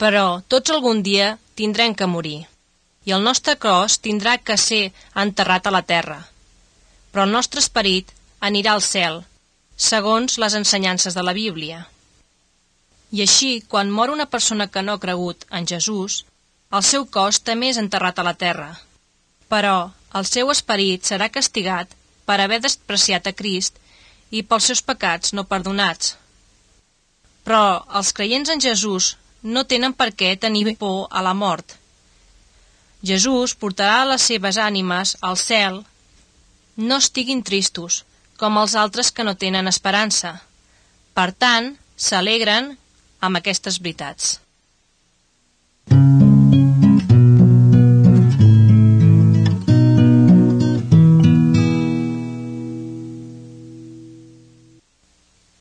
Però tots algun dia tindrem que morir, i el nostre cos tindrà que ser enterrat a la terra. Però el nostre esperit anirà al cel, segons les ensenyances de la Bíblia. I així, quan mor una persona que no ha cregut en Jesús, el seu cos també és enterrat a la terra. Però el seu esperit serà castigat per haver despreciat a Crist i pels seus pecats no perdonats. Però els creients en Jesús no tenen per què tenir por a la mort. Jesús portarà les seves ànimes al cel. No estiguin tristos, com els altres que no tenen esperança. Per tant, s'alegren amb aquestes veritats.